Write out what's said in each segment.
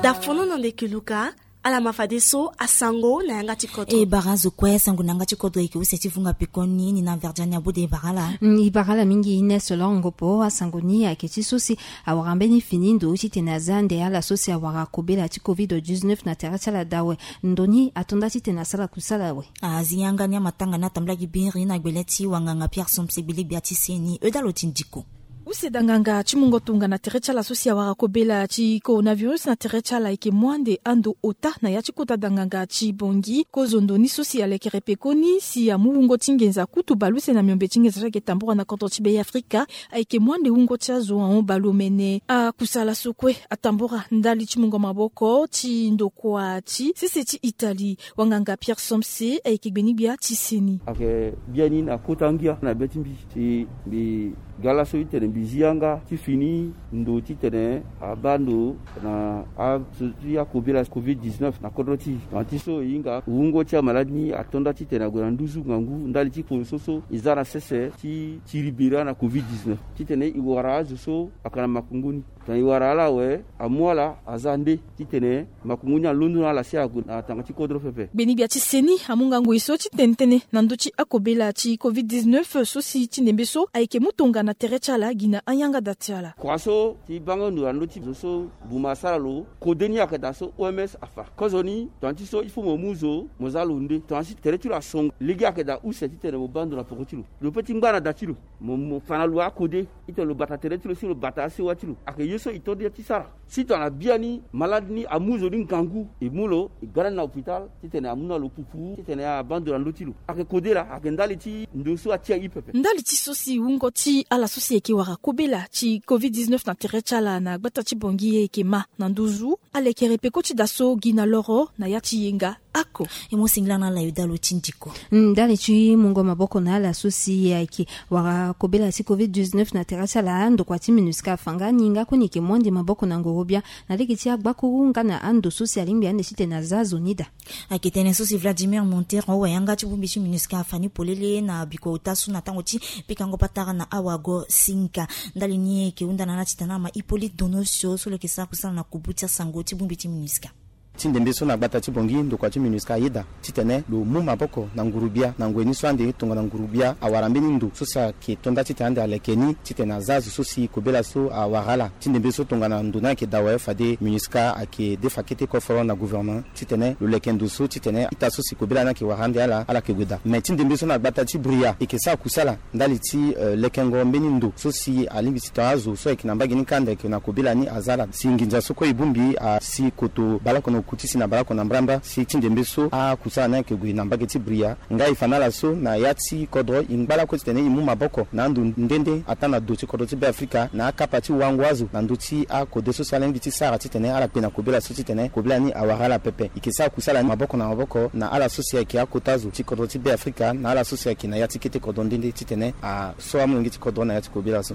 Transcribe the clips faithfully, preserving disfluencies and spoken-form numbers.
Dafono na ndeke luka. Ala ma fadeso asango na yanga ti kodro. E bara azo kue asango na yanga ti kodro eke use ti vunga pekoni ni na verdiani abode e bara ala. Mm, e bara ala mingi ines longo po asango ni ayeke ti so si awara mbeni fini ndo titene aza nde ala so si awara kobela ti covid dix-neuf na tere ti ala dawe. Ndo ni atonda titene asara kusala awe. Azi yanga ni amatanga ni atambula gi biri na gbele ti wanganga pierre somse gbele gbia ti seni euda lo ti ndiko. Use danganga ti mungo tongana tere ti ala so si awara kobela ti coronavirus na tere ti ala ayeke mu ande ando ota na ya ti kota danganga ti bongi kozo ndo ni so si alekere pekoni si amu wungo ti ngenza kutu baleuse na miombe ti ngenza so ayeke tambora na kodro ti bei afrika. Ayeke mu ande wungo ti azo ahon baleomene akusala so kue atambora ndali ti mungo maboko ti ndokua ti sese ti italie. Wanganga pierre somse ayeke gbeni gbia ti seni. Ayeke biani na kota ngia na be ti mbi si mbi ga laso titene mbi zi yanga ti fini ndo titene abaa ndo na aso ti akobela covid dix-neuf na kodro ti e. Tongana ti so e hinga wungo ti amaladi ni atonda titene ague na nduzu ngangu ndali ti kporo so so e za na sese ti tiri bira na covid dix-neuf titene e wara azo so ayeke na makongo ni. Tongana e wara ala awe amu ala aza nde titene makongo ni alondo na ala si ague na tanga ti kodro pepe. Gbeni gbia ti seni amu ngangu e so ti tene tënë na ndö ti akobela ti covid dix-neuf so si ti ndembe so ayeke mu tongana tere ti ala gi na ayangada ti ala. Kua so ti banga ndo na ndö ti zo so buma asara lo kode ni ayeke daa so oms afa kozoni tongana ti so il faut mo mu zo mo za lo nde tongana si tere ti lo asongo lege ayeke daa use titene mo baa ndo na poko ti lo. Lo pe ti ngba na da ti lo mo mo fa na lo akode. Titene lo bata tere ti lo si lo bata asewa ti lo ayeke ye so e to nde ti sara. Si tongana biani malade ni amu zo ni ngangu e mu lo e ga na ni na hôpital titene amu na lo pupu titene abaa ndo na ndö ti lo. Ayeke kode laa ayeke ndali ti ndo so atia e pepe. Ndali ti so si wungo ti ala so si ayeke wara kobela ti covid dix-neuf na tere ti ala na gbata ti bongi e yeke ma na nduzu alekere peko ti da so gi na loro na ya ti yenga. Ako e mo singila na ala e daa lo ti ndiko. Ndali ti mungo maboko na ala so si ayeke wara kobela ti covid dix-neuf na tere ti ala ndokua ti minusca afa nga ni nga kue ni yeke mu ande maboko na ngoro-gbia na lege ti agbakuru nga na ando so si alingbi ande titene aza azo ni daa. Ayeke tënë so si vladimir montero awa yanga ti bongbi ti minusca afa ni polele na bikua ota so na tango ti pikango patara na awago singa. Ndali ni e yeke hunda na ala titene ala ma hippolyte donosio so lo yeke sara kusala na kubu ti asango ti bongbi ti minusca. Ti ndembe so na gbata ti bongi ndokua ti minusca ayeda titene lo mu maboko na nguru-gbia na ngoi ni so ande tongana nguru-gbia awara mbeni ndo so si ayeke tonda titene ande aleke ni titene aza azo so si kobela so awara ala. Ti ndembe so tongana ndo ni ayeke daa awe fade minusca ayeke defa kete koforo na gouvernement titene lo leke ndo so titene ita so si kobela ni ayeke wara ande ala ala yeke gue daa. Me ti ndembe so na gbata ti bria e yeke sara kusala ndali ti lekengo mbeni ndo so si alingbi ti tongana azo so ayeke na mbage ni kanda ayeke na kobela ni aza ala si nginza so kue e bongbi asi koto baleoko na oku ti si na baleoko na mbrambra si ti ndembe so akusala ni ayeke gue na mbage ti bria. Nga e fa na ala so na ya ti kodro e ngba lakue titene e mu maboko na ando nde nde ataa na do ti kodro ti beafrika na akapa ti wango azo na ndö ti akode so si ala lingbi ti sara titene ala kpe na kobela so titene kobela ni awara ala pepe. E yeke sara kusala ni maboko na maboko na ala so si ayeke akota azo ti kodro ti beafrika na ala so si ayeke na ya ti kete kodro nde nde titene aso amolenge ti kodro na ya ti kobela so.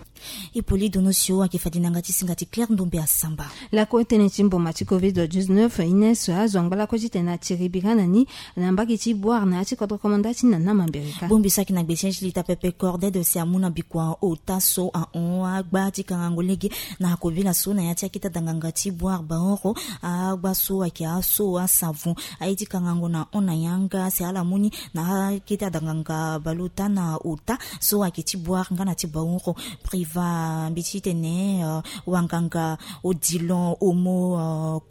Hippolyte donosio ayeke fade na yanga ti singa ti claire ndombe asamba. Lakue tënë ti mboma ti covid dix-neuf ines azo angba lakue titene atiri bira na ni na mbage ti boire na ya ti kodro komanda ti nana mambere kâ. Bongbi so ayeke na gbesiasi lita pepe cordede si amu na bikua ota so ahon agba ti kangango lege na kobela so na ya ti akete adanganga ti boire baoro. Agba so ayeke aso asavon aye ti kangango na hon na yanga si ala mu ni na akete adanganga baleota na ota so ayeke ti boire nga na ti baoro. Priva mbi ti tene wanganga odilon omo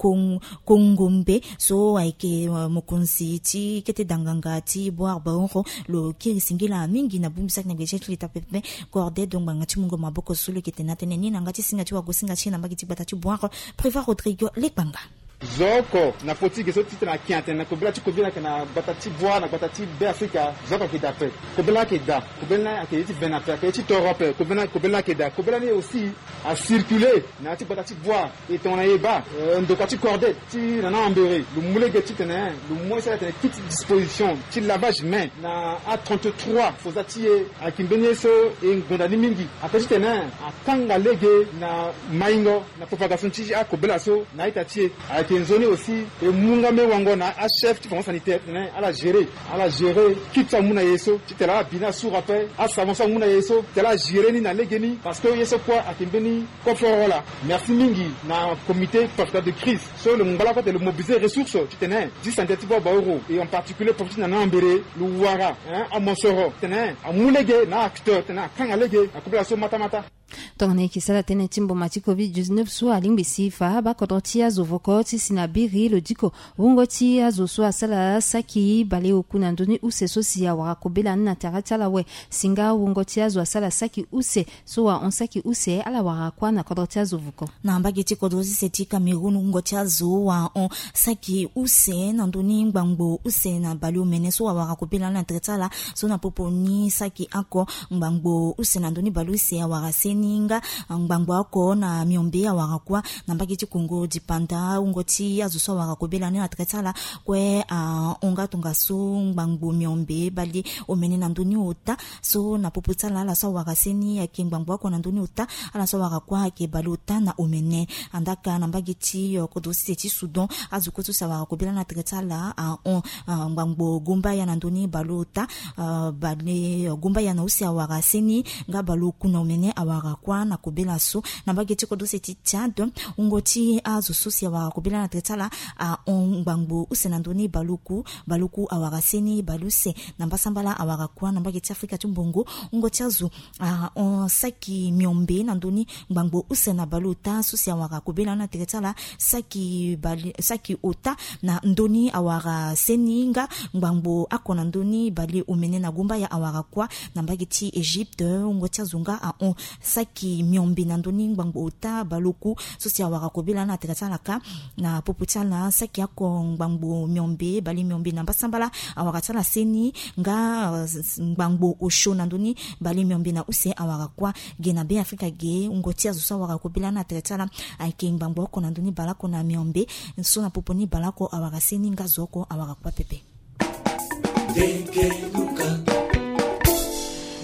kongombe so ayeke mokonzi ti kete danganga ti boire baoro. Lo kiri singila mingi na bongbi so ayeke na gbesiasi lita pepe cordede ngbanga ti mungo maboko so lo yeke tene na tënë ni na yanga ti singa ti wagosinga ti e na mbage ti gbata ti boire. Priva rodrigue lekpanga. Zo oko na poti ge so titene aki atene na kobela ti kobela ayeke na gbata ti boire na gbata ti beafrika. Zo oko ayeke daa ape. Kobela ni ayeke daa kobela ni ayeke ye ti ve na ape ayeke ye ti toro ape kobela ni ayeke daa kobela ni aussi acircule na ya ti gbata ti boire. E tongana e baa ndokua ti cordede ti nana ambere lo mu lege titene lo mu ye so ala tene kit disposition ti lavage main na a trente-trois foza ti e. Ayeke mbeni ye so e ngonda ni mingi ape titene akanga lege na maingo na propagation ti akobela so na a-ita ti e. Ke nzoni aussi e mu nga me wango na achef ti fonction sanitaire titene ala gérer, ala gérer kit so amu na ye so titene ala bi ni asuru ape, asavon so amu na ye so titene ala gérer ni na lege ni, parce que ye so kue ayeke mbeni koforo wala. Merci mingi na comité profita de crise so lo ngba lakue titene lo mobiliser ressource titene dix centaines ti voix baoro, et en particulier profite na ni ambere lo wara amosoro titene amu lege na acteur titene akanga lege na kobela so matamata. Tongana e yeke sara tënë ti mboma ti covid dix-neuf so alingbi si fa bakodro ti azo voko ti si na biri lo diko wungo ti azo so asara saki baleoku na ndö ni use so si awara kobela ni na tere ti ala awe. Si nga wungo ti azo asara saki use so ahon saki use ala wara kuâ na kodro ti azo voko. Na mbage ti kodro sese ti Cameroun, wungo ti azo ahon saki use na ndö ni ngbangbo use na baleomene so awara kobela ni na tere ti ala. So na popo ni saki oko ngbangbo use na ndö ni baleuse awara seni nga ngbangbo oko na miombe awara kuâ. Na mbage ti Kongo dipanda, wungo ti azo so awara kobela ni na tere ti ala kue ahon nga tongaso ngbangbo miombe baleomene na ndö ni ota. So na popo ti ala, ala so awara seni ayeke ngbangbo oko na ndö ni ota, ala so awara kuâ ayeke baleota na omene. Andaka na mbage ti, eh, kodro sese ti Soudan, azo kue so si awara kobela ni na tere ti ala ahon, eh, ngbangbo gumbaya na ndö ni baleota, eh, bale, eh, gumbaya na use awara seni nga baleoku na omene awara kuâ na kobela so. Na mbage ti kodro sese ti Tchad, wungo ti azo so si awara kobela ni na tere ti ala ahon ngbangbo use na ndö ni baleoku, baleoku awara seni baleuse na mbasambala awara kuâ. Na mbage ti Afrika ti mbongo, wungo ti azo ahon saki miombe na ndö ni ngbangbo use na baleota so si awara kobela ni na tere ti ala, saki bale, saki ota na ndö ni awara seni nga ngbangbo oko na ndö ni baleomene na gumbaya awara kuâ. Na mbage ti Egypte, wungo ti azo nga ahon saki miombe na ndö ni ngbangbo ota baleoku so si awara kobela ni na tere ti ala kâ. Na popo ti ala, saki oko ngbangbo miombe bale miombe na mbasambala awara ti ala seni nga, eh, s-, s-, ngbangbo osio na ndö ni bale miombe na use awara kuâ. Ge na Be Afrika ge, wungo ti azo so awara kobela ni na tere ti ala ayeke ngbangbo oko na ndö ni baleoko na miombe, so na popo ni baleoko awara seni nga zo oko awara kuâ pepe.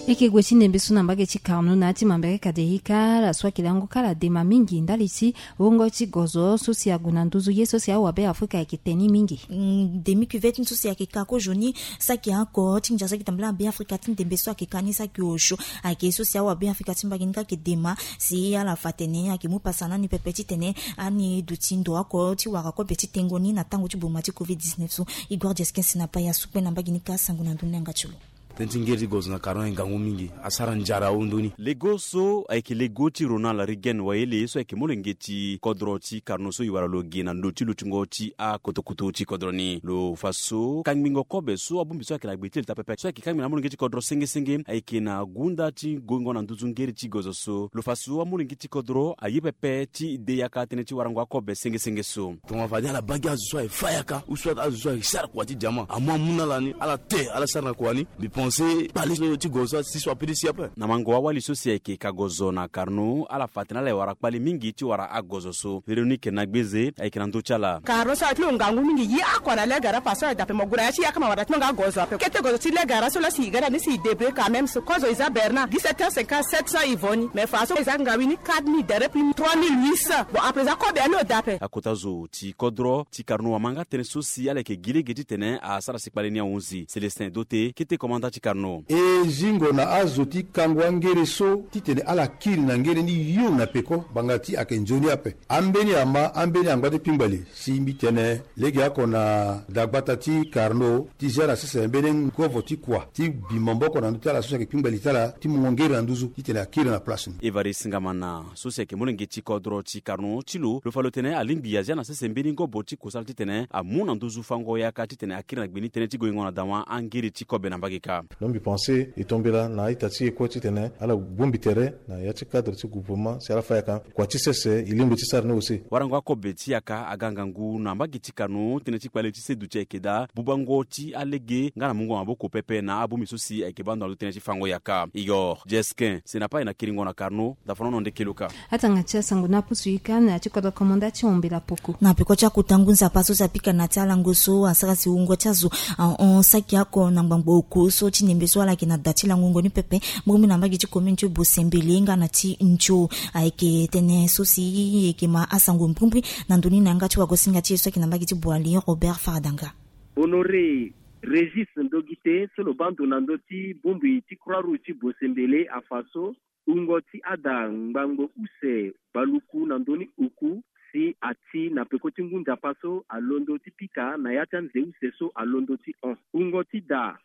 E yeke gue ti ndembe so na mbage ti Carnot na ya ti Mambere Kaderika, ala so ayeke lango kâ ala dema mingi ndali ti wungo ti gozo so si ague na nduzu ye so si awabe Afrika ayeke te ni mingi. Mm, demi cuvette ni so si ayeke ka kozoni, saki oko ti ndia so ayeke tambula na Be Afrika ti ndembe so ayeke ka ni saki osio. Ayeke so si awabe Afrika ti mbage ni kâ ayeke dema si ala fa atene ayeke mu pasa na ani pepe titene ani duti ndo oko ti wara kobe ti tengo ni na tango ti boma ti covid dix-neuf so. Igor Jeskin si na paya sukpe na mbage ni kâ sango na ndö ni yanga ti lo. Tënë ti ngeri ti gozo na Carnot ayeke ngangu mingi, asara nzara ahundu ni. Lego so ayeke lego ti Ronald Reagan Wayele so ayeke molenge ti kodro ti Carnot so e wara lo ge na ndo ti lutingo ti akotokoto ti kodro ni. Lo fa so kangbingo kobe so abongbi so ayeke na gbe ti leta pepe so ayeke kangbi na amolenge ti kodro senge senge ayeke na gunda ti goingo na nduzu ngeri ti gozo so. Lo fa so amolenge ti kodro aye pepe ti de yaka tënë ti warango akobe senge senge so. Tongana fade ala baa gi azo so aye fa yaka ou soit azo so aye sara kua ti diamant amu amu na ala ni, ala te ala sara na kua ni. Mbi pense kpale so ti gozo so asi so apede si ape. Na mango awali so si ayeke ka gozo na Carnot, ala fa atene ala ye wara kpale mingi ti wara agozo so. Véronique Nagbeze ayeke na ndö ti ala. Carnot so aye ti lo ngangu mingi, ye oko na Legara fa so aye dape mo gue na ya ti yaka ma wara ti lo nga gozo ape. Kete gozo ti Legara so la si e ga na ni si e débrouiller quand même so kozo e za Bernard dix-sept heures cinquante-sept so e vo ni. Mais fa so e za ngawi ni quatre mille derep ni trois mille huit cents. Bon, à présent kobe ani lo dape. Akota zo ti kodro ti Carnot amanga tënë so si ala yeke gi lege titene asara si kpale ni ahunzi. Célestin Dote, kete komanda ti Carnot. E zingo na azo ti kango angere so titene ala kiri na ngere ni yo na peko ngbanga ti ayeke nzoni ape. Ambeni ama, ambeni angba ti kpingba li si mbi tene lege oko na dagbata ti Carnot ti zia na sese mbeni ngovo ti kua ti bi maboko na ndö ti ala so si ayeke kpingba li ti ala ti mungo ngere na nduzu titene akiri na place ni. Évariste Ngamana so si ayeke molenge ti kodro ti Carnot ti lo, lo fa lo tene alingbi azia na sese mbeni ngobo ti kusala titene amu na nduzu fango yaka titene akiri na gbe ni tënë ti goingo na dawa angere ti kobe na mbage kâ. Donc mbi pense e tombela na a-ita ti e kue titene ala bongbi tere na ya ti cadre ti gouvernement si ala fa yaka kua ti sese e lingbi ti sara ni aussi. Warango akobe ti yaka aga ngangu na mbage ti Carnot, tënë ti kpale ti seduti ayeke daa bubango ti alege nga na mungo maboko pepe na abongbi so si ayeke baa ndo na ndö tënë ti fango yaka. Igor Jeskin si na paya na kiringo na Carnot. Dafanono ndeke luka. Atanga ti asango na pusu ika na ya ti kodro komanda ti ombela poko. Na peko ti akota ngu nzapa so si apika na ti alango so asara si wungo ti azo ahon saki oko na ngbangbo oko so Ti ndembe so ala yeke na da ti langongo ni pepe, mbrimbri na mbage ti commune ti Bosembele nga na ti Nzo. Ayeke tënë so si e yeke ma asango mbrimbri na ndö ni na yanga ti wagosinga ti e so ayeke na mbage ti Boali, Robert Faradanga. Honoré Régis Ndogite, so lo baa ndo na ndö ti bongbi ti Croix Rouge ti Bosembele afa so, wungo ti ada ngbangbo use baluku na ndö ni oku si ati na peko ti ngu nzapa so alondo ti pika na ya ti anze use so alondo ti hon. Wungo ti da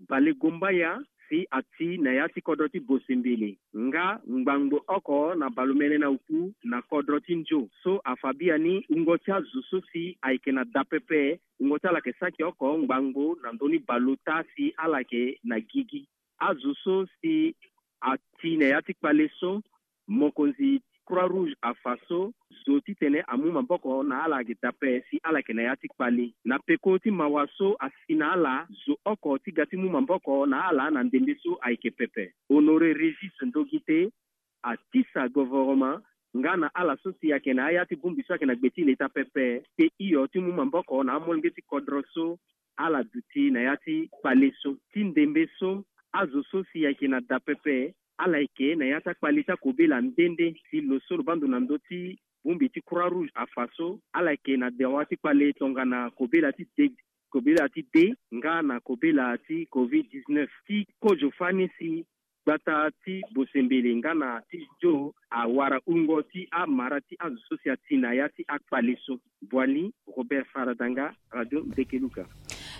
balegombaya si ati na ya ti kodro ti Bosembele, nga ngbangbo oko na balomene na oku na kodro ti Nzo. So afa biani wungo ti azo so si ayeke na da pepe, wungo ti ala yeke saki oko ngbangbo na ndö ni baleota si ala yeke na gigi. Azo so si ati na ya ti kpale so, mokonzi Croix Rouge afa so, zo titene amu maboko na ala ayeke da ape si ala yeke na ya ti kpale. Na peko ti mawa so asi na ala, zo oko ti ga ti mu maboko na ala na ndembe so ayeke pepe. Honoré Régis Ndogite atisa govoroma nga na ala so si ayeke na aya ti bongbi so ayeke na gbe ti leta pepe, te hio ti mu maboko na amolenge ti kodro so ala duti na ya ti kpale so. Ti ndembe so, azo so si ayeke na da pepe, ala yeke na ya ti akpale ti akobela nde nde. Si lo so lo baa ndo na ndö ti bongbi ti Croix Rouge afa so, ala yeke na dawa ti kpale tongana kobela ti de, kobela ti de nga na kobela ti covid dix-neuf. Ti kozo fani si gbata ti Bosembele nga na ti Nzo awara wungo ti amara ti azo so si ati na ya ti akpale so. Boali, Robert Faradanga, Radio Ndekeluka.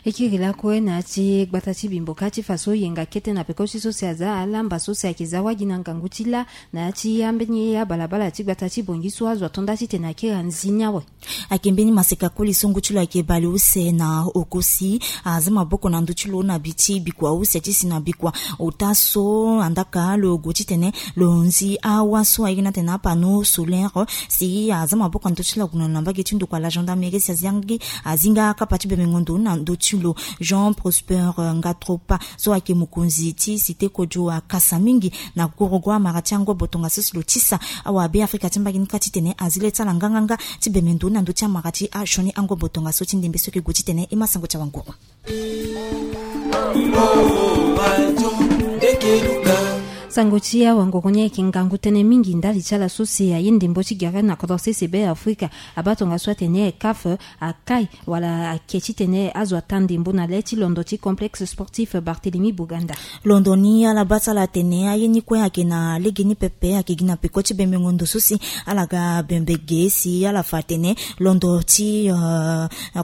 E kiri lakue na ya ti gbata ti Bimboka ti fa so yenga kete na peko ti so si aza alamba so si ayeke za wagi na ngangu ti lâ na ya ti ambeni abalabala ti gbata ti Bongi so azo ato nda titene akiri anzi ni awe. Ayeke mbeni maseka koli so ngu ti lo ayeke bale use na oko si aza maboko na ndö ti lo na bi ti bikua use ti si na bikua. Ota so andaka lo gue titene lo nzi awa so ayeke na tene apano solaire si aza maboko na ndö ti lo ague na mbage ti ndokua la gendarmerie si azingi azinga akapa ti bemengo ndo na ndö ti lo. Jean Prosper Ngatropa so ayeke mokonzi ti cité kodio akasa mingi na gorogo amara ti angobo tongaso si lo tisa awabe afrika ti mbage ni kâ titene azi le ti ala nganganga ti bemendo na ndö ti amara ti asioni angobo tongaso ti ndembe so yeke gue titene e ma sango ti awanguru. Sango ti awanguru ni ayeke ngangu tënë mingi ndali ti ala so si aye ndembo ti gere na kodro sese be afrika. Abaa tongaso atene caf akai wala ake titene azo ata ndembo na le ti londo ti complexe sportif Barthélemy Boganda. Londo ni ala baa ti ala atene aye ni kue ayeke na lege ni pepe, ayeke gi na peko ti bembengo ndo so si ala ga bembe ge si ala fa atene londo ti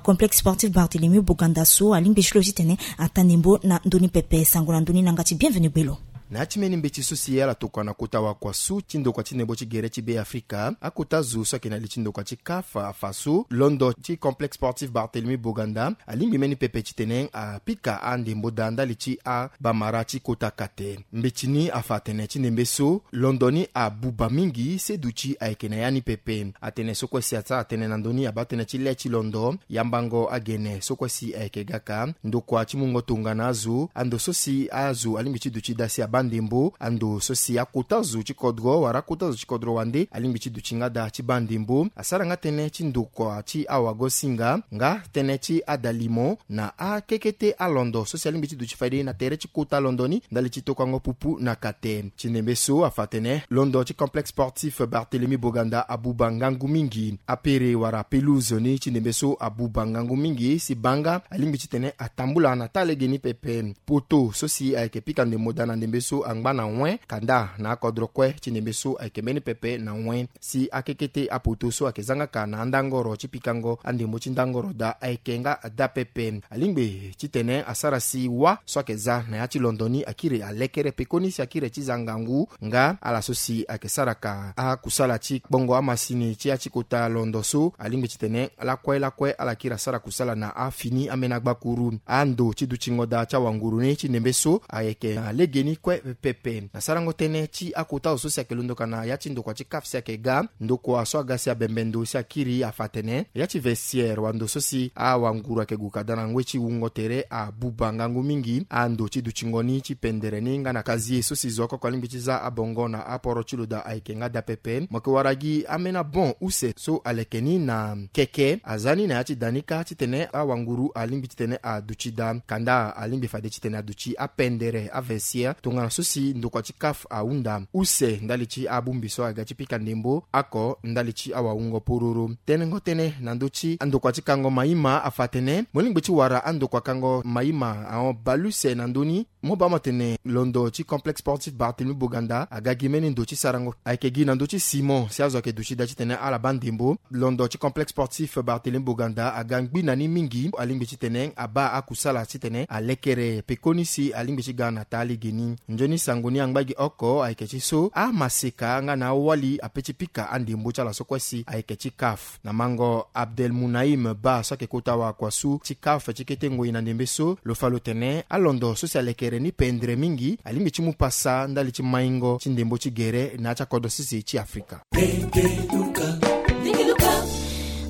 complexe sportif Barthélemy Boganda so alingbi ti lo titene ata ndembo na ndö ni pepe. Sango na ndö ni na yanga ti Bienvenu Gbelo. Na ya ti mbeni mbeti so si ala tokua na kota wakua so ti ndokua ti ndembo ti gere ti be afrika, akota zo so ayeke na li ti ndokua ti caf afa so londo ti complexe sportif Barthélemy Boganda alingbi mbeni pepe titene apika andembo daa ndali ti abamara ti kota kate. Mbeti ni afa atene ti ndembe so londo ni abuba mingi, se duti ayeke na ya ni pepe. Atene so kue si asara tënë na ndö ni abaa tënë ti le ti londo, yambango agene so kue si ayeke gaka, ndokua ti mungo tongana azo, ando so si azo alingbi ti duti daa si abaa ndembo, ando so si akota zo ti kodro wala akota zo ti kodro wande alingbi ti duti nga daa ti baa ndembo. Asara nga tënë ti ndokua ti awagosinga nga tënë ti adalimo na akekete alondo so si alingbi ti duti fade na tere ti kota londo ni ndali ti tokuango pupu na kate. Ti ndembe so afa atene londo ti complexe sportif Barthélemy Boganda abuba ngangu mingi. Apere wala pelouse ni ti ndembe so abuba ngangu mingi si baa nga alingbi titene atambula na taa lege ni pepe. Poto so si ayeke pika ndembo daa na ndembe so angba na wen kanda na akodro kue ti ndembe so ayeke mbeni pepe na wen. Si akekete apoto so ayeke za nga ka na andangoro ti pikango andembo ti ndangoro daa ayeke nga daa pepe. Alingbi titene asara si wâ so ayeke za na ya ti londo ni akiri alekere pekoni si akiri ti za ngangu nga ala so si ayeke sara ka akusala ti kpongo amasini ti ya ti kota londo so alingbi titene lakue lakue ala kiri asara kusala na afini ambeni agbakuru. Ando ti dutingo daa ti awanguru ni ti ndembe so ayeke na legeni kue Pepe na sarango tënë ti akota zo so si ayeke londo ka na ya ti ndokua ti CAF si ayeke ga ndokua so aga si abembe ndo si akiri afa atene ya ti vestiaire wando so si awanguru ayeke gue ka daa na ngoi ti wungo tere abuba ngangu mingi ando ti dutingo ni ti pendere ni nga na kazie so si zo oko oko alingbi ti za abongo na aporo ti lo daa ayeke nga daa pepe. Mo yeke wara gi ambeni bon use so aleke ni na keke aza ni na ya ti da ni kâ titene awanguru alingbi titene aduti daa kanda alingbi fade titene aduti apendere avestiaire tongana so si ndokua ti CAF ahunda use ndali ti abongbi so aga ti pika ndembo oko ndali ti awawungo pororo. Tenengo tënë na ndö ti ndokua ti kango maima afa atene mo lingbi ti wara andokua kango maima ahon bale use na ndö ni. Mo baa mo tene londo ti complexe sportif Barthélemy Boganda aga gi mbeni ndo ti sarango ayeke gi na ndö ti simon si azo ayeke duti daa titene ala baa ndembo. Londo ti complexe sportif Barthélemy Boganda aga ngbi na ni mingi alingbi titene abaa akusala titene alekere pekoni si alingbi ti ga na taa lege ni. Nzoni sango ni angba gi oko ayeke ti so amaseka nga na awali ape ti pika andembo ti ala so kue si ayeke ti CAF. Na mango Abdel Munaim Ba so ayeke kota wakuasu ti CAF ti kete ngoi na ndembe so lo fa lo tene alondo so si alekere ni pendere mingi alingbi ti mu pasa ndali ti maingo ti ndembo ti gere na ya ti akodro sese ti Afrika.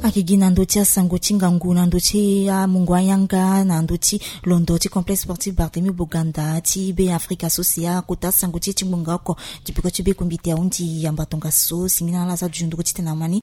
Ayeke gi na ndö ti asango ti ngangu na ndö ti amungo ayanga na ndö ti londo ti complexe sportif Barthélemy Boganda ti be Afrika so si akota asango ti e ti ngbonga oko. Dipeko ti be kombite ahundi yamba tongaso singila ala aza duzunduru titene ama ni.